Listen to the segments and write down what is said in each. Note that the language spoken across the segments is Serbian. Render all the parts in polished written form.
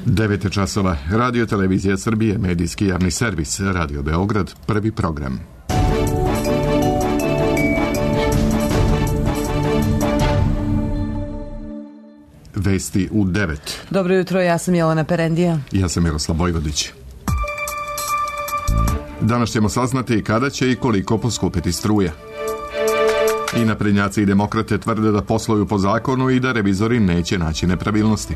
9 časova. Radio Televizija Srbije, medijski javni servis, Radio Beograd, prvi program. Vesti u 9. Dobro jutro, ja sam Jelena Perendija. Ja sam Miroslav Vojvodić. Danas ćemo saznati kada će i koliko poskupiti struja. I naprednjaci i demokrate tvrde da posluju po zakonu i da revizori neće naći nepravilnosti.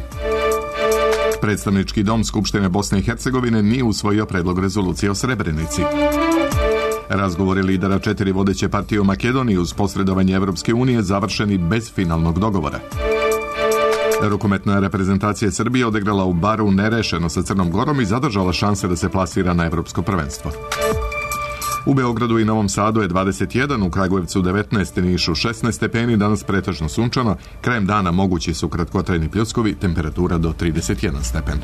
Predstavnički dom Skupštine Bosne i Hercegovine nije usvojio predlog rezolucije o Srebrenici. Razgovori lidera 4 vodeće partije u Makedoniji uz posredovanje Evropske unije završeni bez finalnog dogovora. Rukometna reprezentacija Srbije odigrala u Baru nerešeno sa Crnom Gorom i zadržala šanse da se plasira na evropsko prvenstvo. U Beogradu i Novom Sadu je 21, u Kragujevcu 19, Nišu 16 stepeni, danas pretežno sunčano, krajem dana mogući su kratkotrajni pljuskovi, temperatura do 31 stepen.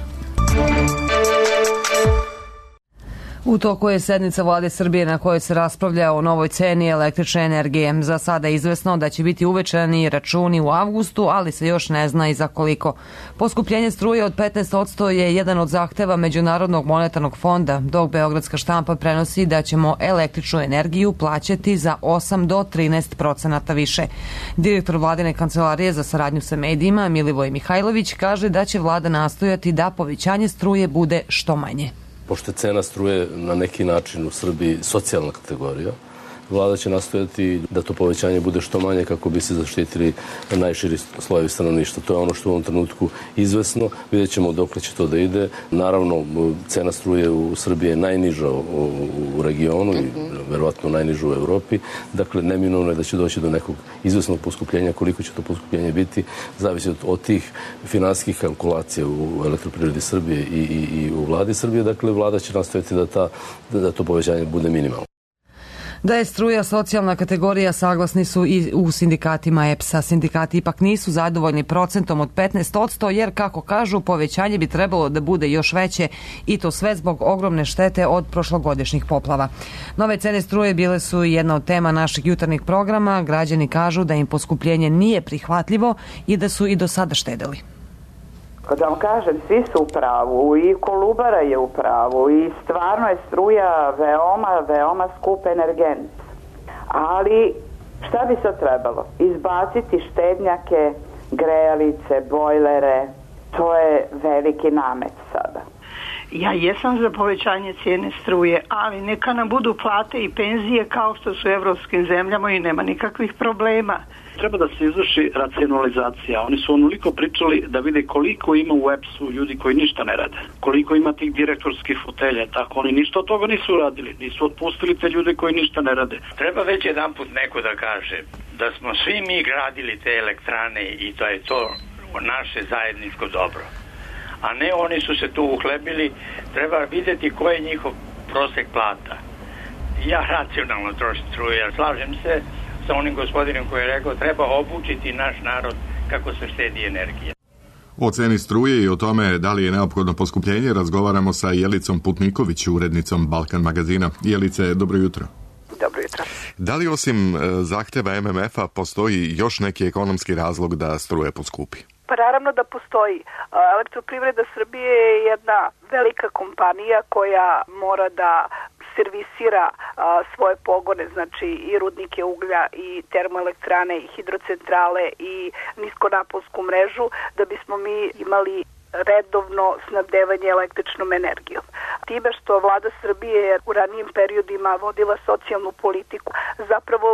U toku je sednica Vlade Srbije na kojoj se raspravlja o novoj ceni električne energije. Za sada je izvesno da će biti uvećani računi u avgustu, ali se još ne zna i za koliko. Poskupljenje struje od 15% je jedan od zahteva Međunarodnog monetarnog fonda, dok Beogradska štampa prenosi da ćemo električnu energiju plaćati za 8 do 13% više. Direktor Vladine kancelarije za saradnju sa medijima, Milivoj Mihajlović, kaže da će vlada nastojati da povećanje struje bude što manje. Pošto je cena struje na neki način u Srbiji socijalna kategorija, vlada će nastojati da to povećanje bude što manje kako bi se zaštitili najširi slojevi stanovništva. To je ono što u ovom trenutku izvesno. Vidjet ćemo dokle će to da ide. Naravno, cena struje u Srbiji je najniža u regionu i verovatno najniža u Evropi. Dakle, neminovno je da će doći do nekog izvesnog poskupljenja. Koliko će to poskupljenje biti, zavisi od tih finansijskih kalkulacija u Elektroprivredi Srbije i u vladi Srbije. Dakle, vlada će nastojati da to povećanje bude minimalno. Da je struja socijalna kategorija saglasni su i u sindikatima EPS-a. Sindikati ipak nisu zadovoljni procentom od 15%, jer, kako kažu, povećanje bi trebalo da bude još veće i to sve zbog ogromne štete od prošlogodišnjih poplava. Nove cene struje bile su jedna od tema naših jutarnjih programa. Građani kažu da im poskupljenje nije prihvatljivo i da su i do sada štedeli. Kad vam kažem, svi su u pravu, i Kolubara je u pravu, i stvarno je struja veoma skup energent. Ali šta bi se trebalo? Izbaciti štednjake, grejalice, bojlere, to je veliki namet sada. Ja jesam za povećanje cijene struje, ali neka nam budu plate i penzije kao što su u evropskim zemljama i nema nikakvih problema. Treba da se izvrši racionalizacija. Oni su onoliko pričali da vide koliko ima u EPS-u ljudi koji ništa ne rade. Koliko ima tih direktorskih fotelja, tako oni ništa od toga nisu radili. Nisu otpustili te ljude koji ništa ne rade. Treba već jedan put neko da kaže da smo svi mi gradili te elektrane i to je to naše zajedničko dobro. A ne oni su se tu uhlebili. Treba vidjeti ko je njihov prosek plata. Ja racionalno trošim struje, jer slažem se sa onim gospodinom koji je rekao treba obučiti naš narod kako se štedi energija. O ceni struje i o tome da li je neophodno poskupljenje razgovaramo sa Jelicom Putniković, urednicom Balkan magazina. Jelice, dobro jutro. Dobro jutro. Da li osim zahteva MMF-a postoji još neki ekonomski razlog da struje poskupi? Pa naravno da postoji. Elektroprivreda Srbije je jedna velika kompanija koja mora da servisira svoje pogone, znači i rudnike uglja i termoelektrane i hidrocentrale i niskonaponsku mrežu, da bismo mi imali redovno snabdevanje električnom energijom. Time što vlada Srbije u ranijim periodima vodila socijalnu politiku, zapravo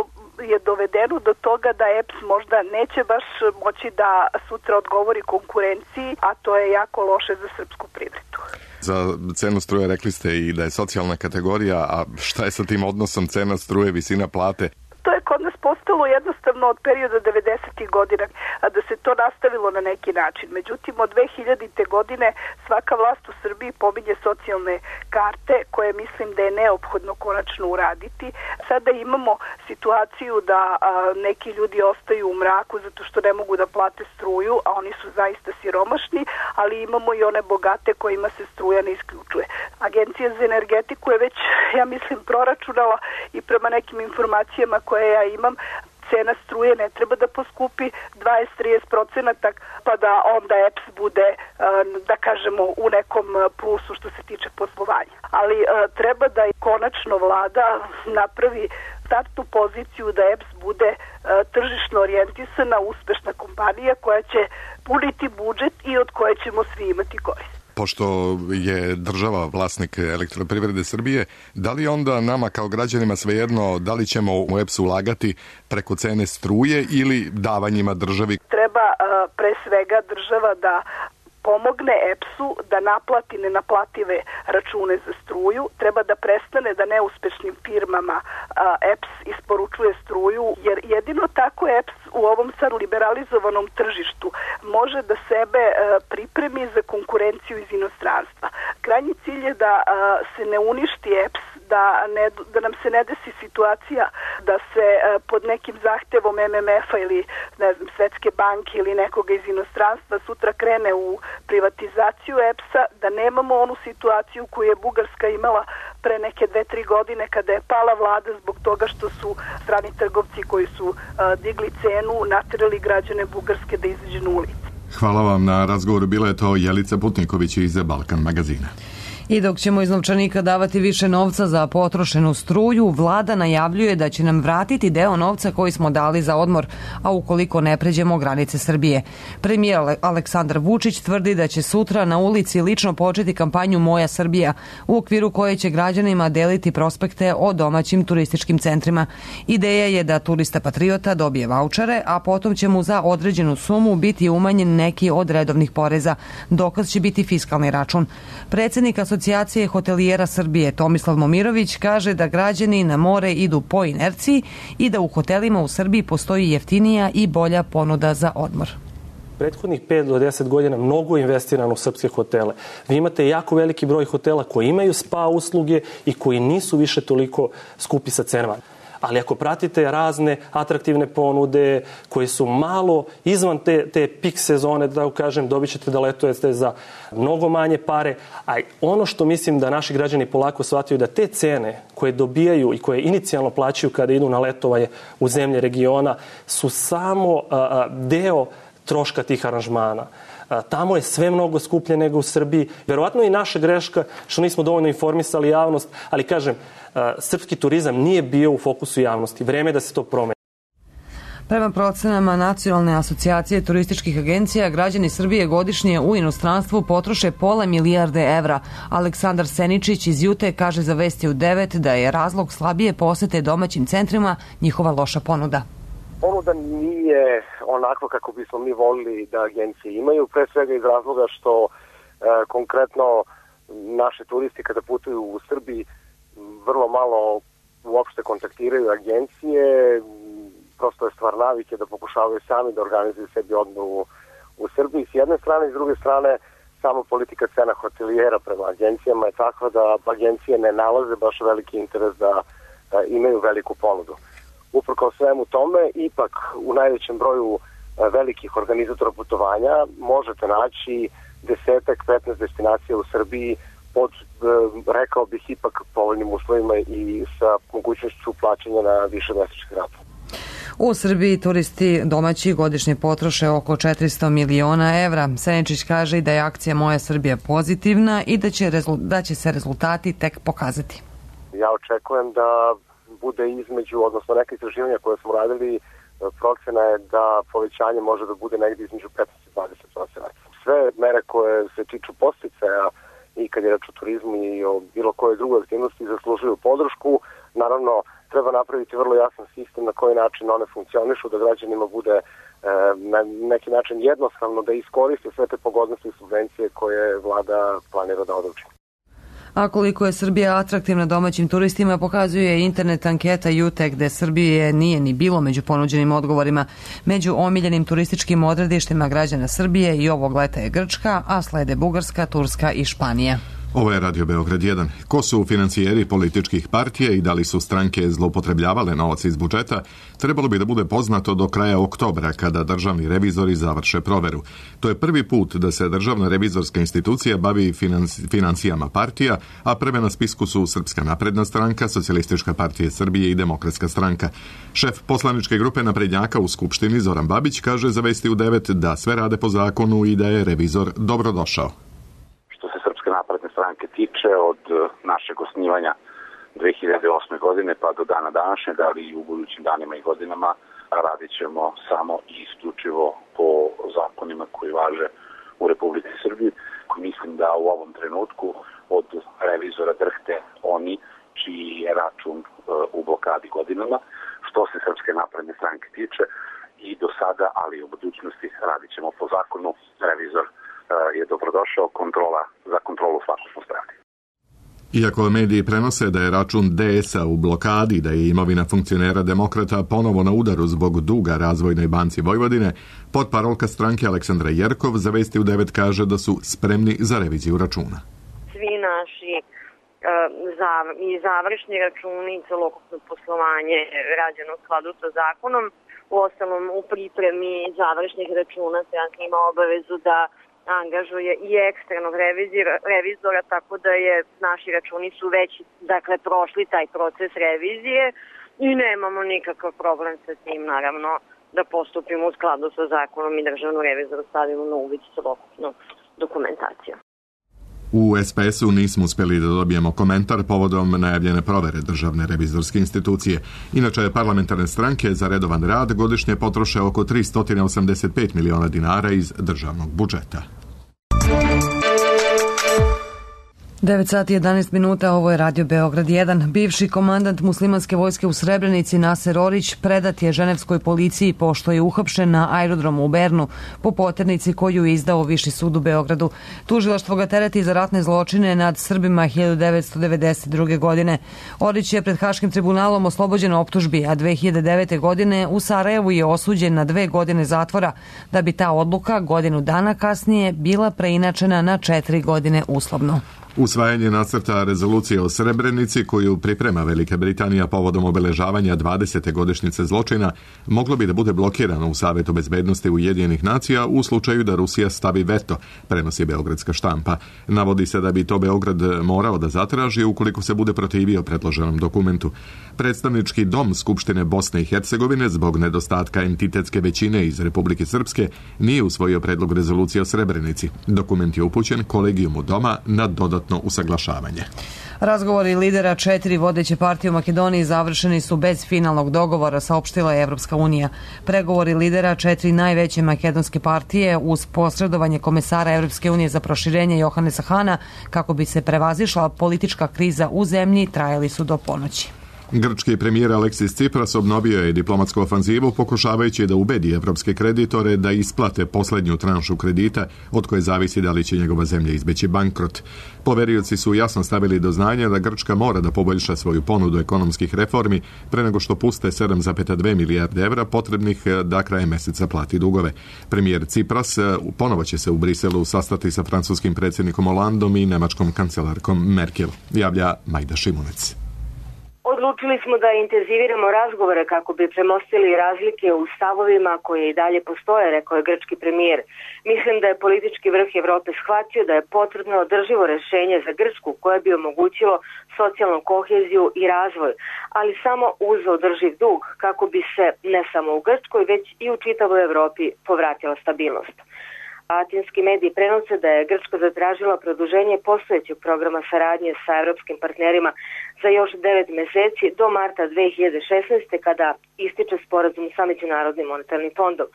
je dovedeno do toga da EPS možda neće baš moći da sutra odgovori konkurenciji, a to je jako loše za srpsku privredu. Za cenu struje rekli ste i da je socijalna kategorija, a šta je sa tim odnosom cena struje, visina plate? To je kod nas postalo jednostavno od perioda 90. godina, a da se to nastavilo na neki način. Međutim, od 2000. godine svaka vlast u Srbiji pominje socijalne karte, koje mislim da je neophodno konačno uraditi. Sada imamo situaciju da neki ljudi ostaju u mraku zato što ne mogu da plate struju, a oni su zaista siromašni, ali imamo i one bogate kojima se struja ne isključuje. Agencija za energetiku je već, ja mislim, proračunala i prema nekim informacijama koje ja imam, cena struje ne treba da poskupi 20-30%, pa da onda EPS bude, da kažemo, u nekom plusu što se tiče poslovanja. Ali treba da i konačno vlada napravi startnu poziciju da EPS bude tržišno orijentisana, uspešna kompanija koja će puniti budžet i od koje ćemo svi imati korist. Pošto je država vlasnik Elektroprivrede Srbije, da li onda nama kao građanima svejedno da li ćemo u EPS ulagati preko cene struje ili davanjima državi? Treba pre svega država da pomogne EPS-u da naplati nenaplative račune za struju, treba da prestane da neuspešnim firmama EPS isporučuje struju, jer jedino tako EPS u ovom sad liberalizovanom tržištu može da sebe pripremi za konkurenciju iz inostranstva. Krajnji cilj je da se ne uništi EPS, da nam se ne desi situacija da se pod nekim zahtevom MMF-a ili Svetske banke ili nekoga iz inostranstva sutra krene u privatizaciju EPS-a, da nemamo onu situaciju koju je Bugarska imala pre neke 2-3 godine kada je pala vlada zbog toga što su strani trgovci koji su digli cenu naterali građane Bugarske da izađu na ulici. Hvala vam na razgovoru. Bila je to Jelica Putniković iz Balkan magazina. I dok ćemo iz novčanika davati više novca za potrošenu struju, vlada najavljuje da će nam vratiti deo novca koji smo dali za odmor, a ukoliko ne pređemo granice Srbije. Premijer Aleksandar Vučić tvrdi da će sutra na ulici lično početi kampanju Moja Srbija, u okviru koje će građanima deliti prospekte o domaćim turističkim centrima. Ideja je da turista patriota dobije vaučere, a potom će mu za određenu sumu biti umanjen neki od redovnih poreza. Dokaz će biti fiskalni račun. Predsjednik Asocijacije hotelijera Srbije Tomislav Momirović kaže da građani na more idu po inerciji i da u hotelima u Srbiji postoji jeftinija i bolja ponuda za odmor. Prethodnih 5 do 10 godina mnogo investirano u srpske hotele. Vi imate jako veliki broj hotela koji imaju spa usluge i koji nisu više toliko skupi sa cenama. Ali ako pratite razne atraktivne ponude koje su malo izvan te pik sezone, da kažem, dobit ćete da letujete za mnogo manje pare. A ono što mislim da naši građani polako shvataju da te cene koje dobijaju i koje inicijalno plaćaju kada idu na letovanje u zemlje regiona su samo deo troška tih aranžmana. Tamo je sve mnogo skuplje nego u Srbiji. Verovatno i naša greška što nismo dovoljno informisali javnost, ali kažem, srpski turizam nije bio u fokusu javnosti. Vreme je da se to promeni. Prema procenama Nacionalne asocijacije turističkih agencija, građani Srbije godišnje u inostranstvu potroše pola milijarde evra. Aleksandar Seničić iz Jute kaže za Vesti u 9 da je razlog slabije posete domaćim centrima njihova loša ponuda. Ponuda nije onako kako bismo mi volili da agencije imaju, pre svega iz razloga što konkretno naši turisti kada putuju u Srbiji vrlo malo uopšte kontaktiraju agencije, prosto je stvar navike da pokušavaju sami da organizuju sebi odmor u Srbiji s jedne strane, i s druge strane samo politika cena hotelijera prema agencijama je takva da agencije ne nalaze baš veliki interes da imaju veliku ponudu. Uprkos svemu tome, ipak u najvećem broju velikih organizatora putovanja možete naći 10-15 destinacija u Srbiji pod, rekao bih, ipak povoljnim uslovima i sa mogućnošću plaćanja na više mesečnih rata. U Srbiji turisti domaći godišnje potroše oko 400 miliona evra. Seničić kaže i da je akcija Moja Srbija pozitivna i da će se rezultati tek pokazati. Ja očekujem da bude između, odnosno neke istraživanja koje smo radili, procena je da povećanje može da bude negdje između 15 i 20%. Sve mere koje se tiču podsticaja i kad je reč o turizmu i o bilo koje druge aktivnosti zaslužuju podršku. Naravno, treba napraviti vrlo jasan sistem na koji način one funkcionišu, da građanima bude na neki način jednostavno da iskoriste sve te pogodnosti i subvencije koje vlada planira da odluči. A koliko je Srbija atraktivna domaćim turistima pokazuje internet anketa Jute, gde Srbije nije ni bilo među ponuđenim odgovorima. Među omiljenim turističkim odredištima građana Srbije i ovog leta je Grčka, a slede Bugarska, Turska i Španija. Ovo je Radio Beograd 1. Ko su financijeri političkih partija i da li su stranke zloupotrebljavale novac iz budžeta, trebalo bi da bude poznato do kraja oktobra, kada državni revizori završe proveru. To je prvi put da se državna revizorska institucija bavi financijama partija, a prve na spisku su Srpska napredna stranka, Socijalistička partija Srbije i Demokratska stranka. Šef poslaničke grupe naprednjaka u Skupštini Zoran Babić kaže za Vesti u 9 da sve rade po zakonu i da je revizor dobrodošao. Napredne stranke tiče, od našeg osnivanja 2008. godine pa do dana današnjeg, ali i u budućim danima i godinama radit ćemo samo i isključivo po zakonima koji važe u Republici Srbiji. Mislim da u ovom trenutku od revizora drhte oni čiji je račun u blokadi godinama. Što se Srpske napredne stranke tiče, i do sada, ali i u budućnosti radit ćemo po zakonu. Revizor je dobrodošao, za kontrolu svakog smo spremni. Iako mediji prenose da je račun DS-a u blokadi, da je imovina funkcionera Demokrata ponovo na udaru zbog duga Razvojnoj banci Vojvodine, potparolka stranke Aleksandra Jerkov za Vesti u 9 kaže da su spremni za reviziju računa. Svi naši i završni računi i celokupno poslovanje rađeno u skladu sa zakonom. U ostalom, u pripremi završnih računa stranka ima obavezu da angažuje i eksternog revizora, tako da naši računi su već prošli taj proces revizije i nemamo nikakav problem sa tim, naravno, da postupimo u skladu sa zakonom i državnu revizoru stavimo na uvid celokupnu dokumentaciju. U SPS-u nismo uspeli da dobijemo komentar povodom najavljene provere državne revizorske institucije. Inače, parlamentarne stranke za redovan rad godišnje potroše oko 385 miliona dinara iz državnog budžeta. 9 sati 11 minuta, ovo je Radio Beograd 1. Bivši komandant muslimanske vojske u Srebrenici Naser Orić predat je ženevskoj policiji pošto je uhapšen na aerodromu u Bernu po poternici koju je izdao Viši sud u Beogradu. Tužilaštvo ga tereti za ratne zločine nad Srbima 1992. godine. Orić je pred Haškim tribunalom oslobođen optužbi, a 2009. godine u Sarajevu je osuđen na 2 godine zatvora, da bi ta odluka godinu dana kasnije bila preinačena na 4 godine uslovno. Usvajanje nacrta rezolucije o Srebrenici koju priprema Velika Britanija povodom obeležavanja 20. godišnjice zločina moglo bi da bude blokirano u Savetu bezbednosti Ujedinjenih nacija u slučaju da Rusija stavi veto, prenosi beogradska štampa. Navodi se da bi to Beograd morao da zatraži ukoliko se bude protivio predloženom dokumentu. Predstavnički dom Skupštine Bosne i Hercegovine zbog nedostatka entitetske većine iz Republike Srpske nije usvojio predlog rezolucije o Srebrenici. Dokument je upućen kolegijumu doma na dodatno usaglašavanje. Razgovori lidera 4 vodeće partije u Makedoniji završeni su bez finalnog dogovora, saopštila je Evropska unija. Pregovori lidera 4 najveće makedonske partije uz posredovanje komesara Evropske unije za proširenje Johanesa Hana kako bi se prevazišla politička kriza u zemlji trajali su do ponoći. Grčki premijer Aleksis Tsipras obnovio je diplomatsku ofanzivu pokušavajući da ubedi evropske kreditore da isplate poslednju tranšu kredita od koje zavisi da li će njegova zemlja izbeći bankrot. Poverioci su jasno stavili do znanja da Grčka mora da poboljša svoju ponudu ekonomskih reformi pre nego što puste 7,2 milijarde evra potrebnih da krajem meseca plati dugove. Premijer Tsipras ponovo će se u Briselu sastati sa francuskim predsjednikom Hollandom i nemačkom kancelarkom Merkel, javlja Majda Šimunec. Odlučili smo da intenziviramo razgovore kako bi premostili razlike u stavovima koje i dalje postoje, rekao je grčki premijer. Mislim da je politički vrh Evrope shvatio da je potrebno održivo rešenje za Grčku koje bi omogućilo socijalnu koheziju i razvoj, ali samo uz održiv dug kako bi se ne samo u Grčkoj već i u čitavoj Evropi povratila stabilnost. Atinski mediji prenose da je Grčka zatražila produženje postojećeg programa saradnje sa evropskim partnerima za još 9 meseci do marta 2016. kada ističe sporazum sa Međunarodnim monetarnim fondom.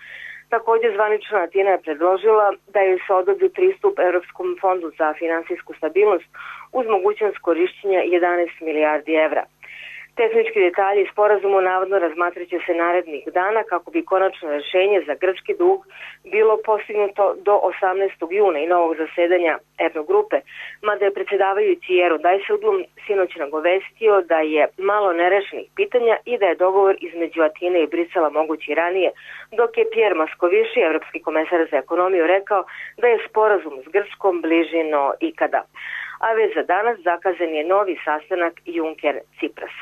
Također zvanična Atina je predložila da joj se odobri pristup Evropskom fondu za finansijsku stabilnost uz mogućnost korišćenja 11 milijardi evra. Tehnički detalji sporazumu navodno razmatraće se narednih dana kako bi konačno rješenje za grčki dug bilo postignuto do 18. juna i novog zasedanja Eurogrupe, mada je predsjedavajući Jero Dijsselbloem sinoć nagovestio da je malo nerešenih pitanja i da je dogovor između Atine i Brisela mogući ranije, dok je Pierre Moscovici, evropski komesar za ekonomiju, rekao da je sporazum s Grčkom bliži no ikada. a već za danas zakazan je novi sastanak Juncker-Cipras.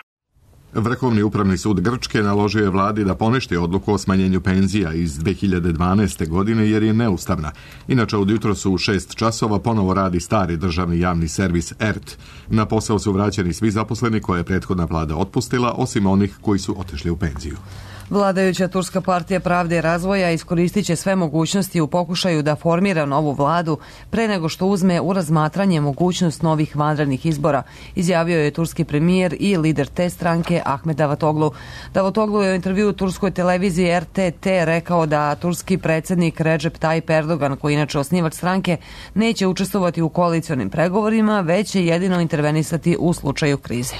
Vrhovni upravni sud Grčke naložio je vladi da poništi odluku o smanjenju penzija iz 2012. godine jer je neustavna. Inače, od jutros u 6 časova ponovo radi stari državni javni servis ERT. Na posao su vraćeni svi zaposleni koje je prethodna vlada otpustila, osim onih koji su otišli u penziju. Vladajuća Turska partija Pravde i razvoja iskoristit će sve mogućnosti u pokušaju da formira novu vladu pre nego što uzme u razmatranje mogućnost novih vanrednih izbora, izjavio je turski premijer i lider te stranke Ahmed Davutoglu. Davutoglu je u intervjuu turskoj televiziji RTT rekao da turski predsjednik Recep Tayyip Erdogan, koji inače osnivač stranke, neće učestvovati u koalicionim pregovorima, već će jedino intervenisati u slučaju krize.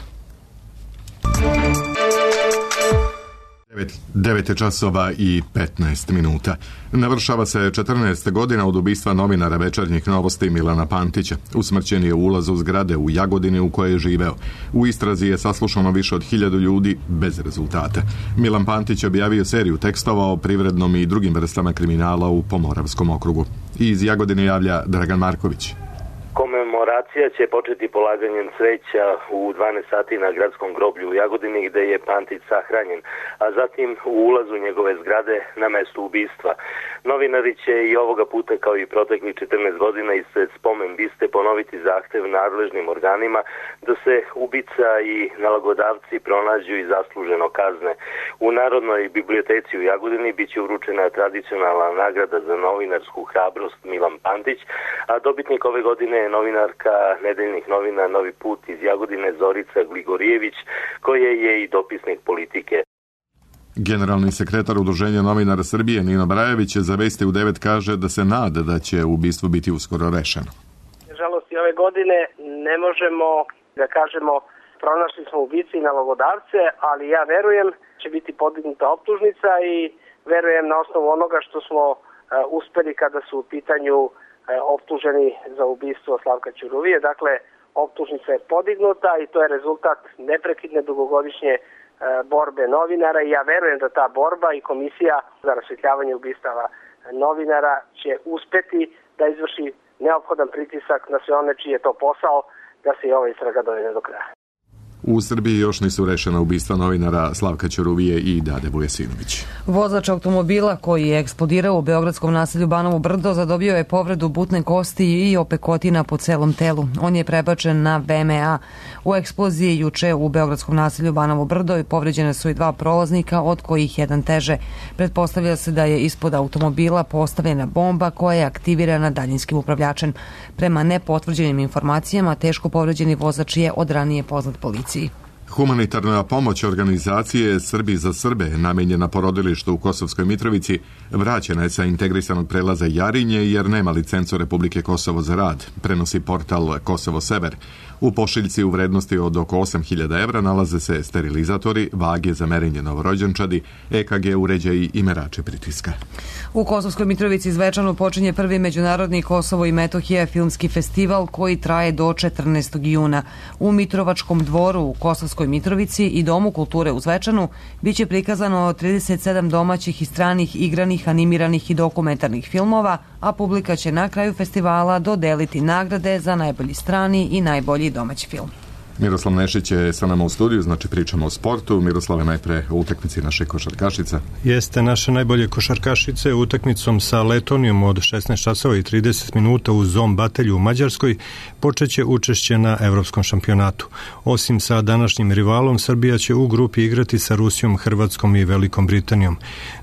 9 časova i 15 minuta. Navršava se 14 godina od ubistva novinara Večernjih novosti Milana Pantića. Usmrćen je u ulazu zgrade u Jagodini u kojoj je živeo. U istrazi je saslušano više od 1000 ljudi bez rezultata. Milan Pantić objavio seriju tekstova o privrednom i drugim vrstama kriminala u Pomoravskom okrugu. Iz Jagodine javlja Dragan Marković. Komemoracija će početi polaganjem cveća u 12 sati na gradskom groblju u Jagodini gde je Pantić sahranjen, a zatim u ulazu njegove zgrade na mestu ubistva. Novinari će i ovoga puta kao i proteklih 14 godina ispred spomen biste ponoviti zahtev nadležnim organima da se ubica i nalogodavci pronađu i zasluženo kazne. U Narodnoj biblioteci u Jagodini biće uručena tradicionalna nagrada za novinarsku hrabrost Milan Pantić, a dobitnik ove godine je novinarka nedeljnih novina Novi put iz Jagodine Zorica Gligorijević, koja je i dopisnik Politike. Generalni sekretar Udruženja novinara Srbije Nino Brajević za Vesti u 9 kaže da se nada da će ubistvo biti uskoro rešeno. Nažalost, i ove godine ne možemo da kažemo pronašli smo ubice i nalogodavce, ali ja verujem će biti podignuta optužnica i verujem na osnovu onoga što smo uspeli kada su u pitanju optuženi za ubistvo Slavka Ćuruvije. Dakle, optužnica je podignuta i to je rezultat neprekidne dugogodišnje borbe novinara i ja verujem da ta borba i komisija za rasvetljavanje ubistava novinara će uspeti da izvrši neophodan pritisak na sve one čiji je to posao da se i ova istraga dovede do kraja. U Srbiji još nisu rešena ubistva novinara Slavka Ćuruvije i Dade Vujesinović. Vozač automobila koji je eksplodirao u beogradskom naselju Banovo Brdo zadobio je povredu butne kosti i opekotina po celom telu. On je prebačen na VMA. U eksploziji juče u beogradskom naselju Banovo Brdo povređene su i 2 prolaznika, od kojih jedan teže. Pretpostavlja se da je ispod automobila postavljena bomba koja je aktivirana daljinskim upravljačem. Prema nepotvrđenim informacijama, teško povređeni vozač je od ranije poznat policiji. Humanitarna pomoć organizacije Srbi za Srbe, namenjena porodilištu u Kosovskoj Mitrovici, vraćena je sa integrisanog prelaza Jarinje jer nema licencu Republike Kosovo za rad, prenosi portal Kosovo Sever. U pošiljci u vrednosti od oko 8.000 evra nalaze se sterilizatori, vage za merenje novorođenčadi, EKG uređaji i merači pritiska. U Kosovskoj Mitrovici Zvečanu počinje prvi međunarodni Kosovo i Metohija filmski festival koji traje do 14. juna. U Mitrovačkom dvoru u Kosovskoj Mitrovici i Domu kulture u Zvečanu biće prikazano 37 domaćih i stranih igranih, animiranih i dokumentarnih filmova, a publika će na kraju festivala dodeliti nagrade za najbolji strani i najbolji domaći film. Miroslav Nešić je sa nama u studiju, znači pričamo o sportu. Miroslave, najpre o utakmici naše košarkašica. Jeste, naše najbolje košarkašice utakmicom sa Letonijom od 16 časova i 30 minuta u Zom Batelju u Mađarskoj počeće učešće na evropskom šampionatu. Osim sa današnjim rivalom, Srbija će u grupi igrati sa Rusijom, Hrvatskom i Velikom Britanijom.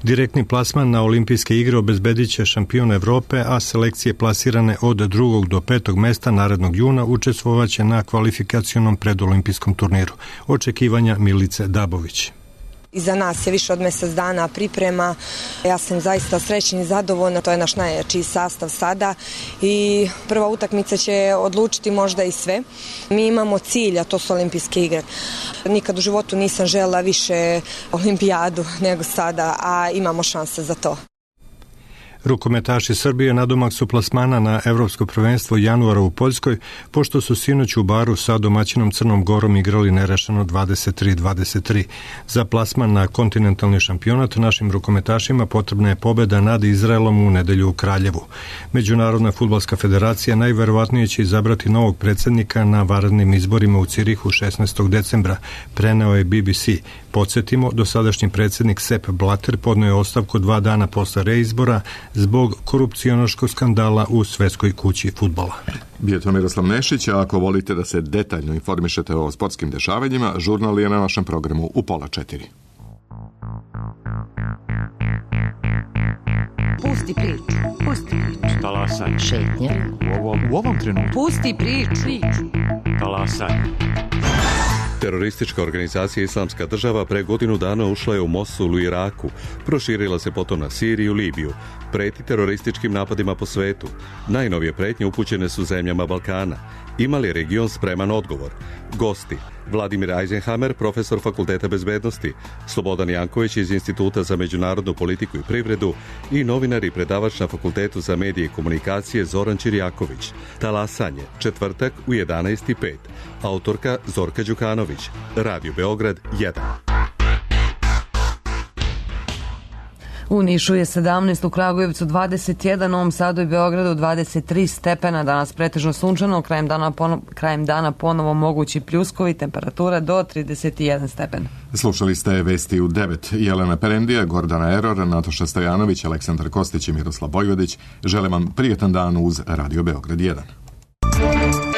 Direktni plasman na olimpijske igre obezbedit će šampion Evrope, a selekcije plasirane od 2. do 5. mesta narednog juna učestvovaće na kvalifikacionom predolimpijskom turniru. Očekivanja Milice Dabović. Iza nas je više od mjesec dana priprema. Ja sam zaista srećna i zadovoljna. To je naš najjači sastav sada i prva utakmica će odlučiti možda i sve. Mi imamo cilj, a to su olimpijske igre. Nikad u životu nisam željela više olimpijadu nego sada, a imamo šanse za to. Rukometaši Srbije nadomak su plasmana na Evropsko prvenstvo januara u Poljskoj, pošto su sinoć u Baru sa domaćinom Crnom Gorom igrali nerešeno 23-23. Za plasman na kontinentalni šampionat našim rukometašima potrebna je pobeda nad Izraelom u nedelju u Kraljevu. Međunarodna fudbalska federacija najverovatnije će izabrati novog predsjednika na vanrednim izborima u Cirihu 16. decembra, preneo je BBC. Podsjetimo, dosadašnji predsjednik Sepp Blatter podneo je ostavku 2 dana posle reizbora zbog korupcionaškog skandala u Svetskoj kući fudbala. Bio je to Miroslav Nešić, a ako volite da se detaljno informišete o sportskim dešavanjima, žurnal je na našem programu u 3:30. Pusti priču. Pusti priču. Talasaj. Šetnja. U ovom trenutku. Pusti priču. Talasaj. Teroristička organizacija Islamska država pre godinu dana ušla je u Mosul u Iraku, proširila se potom na Siriju i Libiju, preti terorističkim napadima po svetu. Najnovije pretnje upućene su zemljama Balkana. Ima li region spreman odgovor? Gosti: Vladimir Eisenhammer, profesor Fakulteta bezbednosti, Slobodan Janković iz Instituta za međunarodnu politiku i privredu i novinar i predavač na Fakultetu za medije i komunikacije Zoran Čirjaković. Talasanje, četvrtak u 11:05. Autorka Zorka Đukanović. Radio Beograd 1. U Nišu je 17, u Kragujevcu 21, u Novom Sadu i Beogradu 23 stepena, danas pretežno sunčano, krajem dana ponovo mogući pljuskovi, temperatura do 31 stepen. Slušali ste vesti u 9. Jelena Perendija, Gordana Eror, Natoša Stojanović, Aleksandar Kostić i Miroslav Bojvodić. Želim vam prijetan dan uz Radio Beograd 1.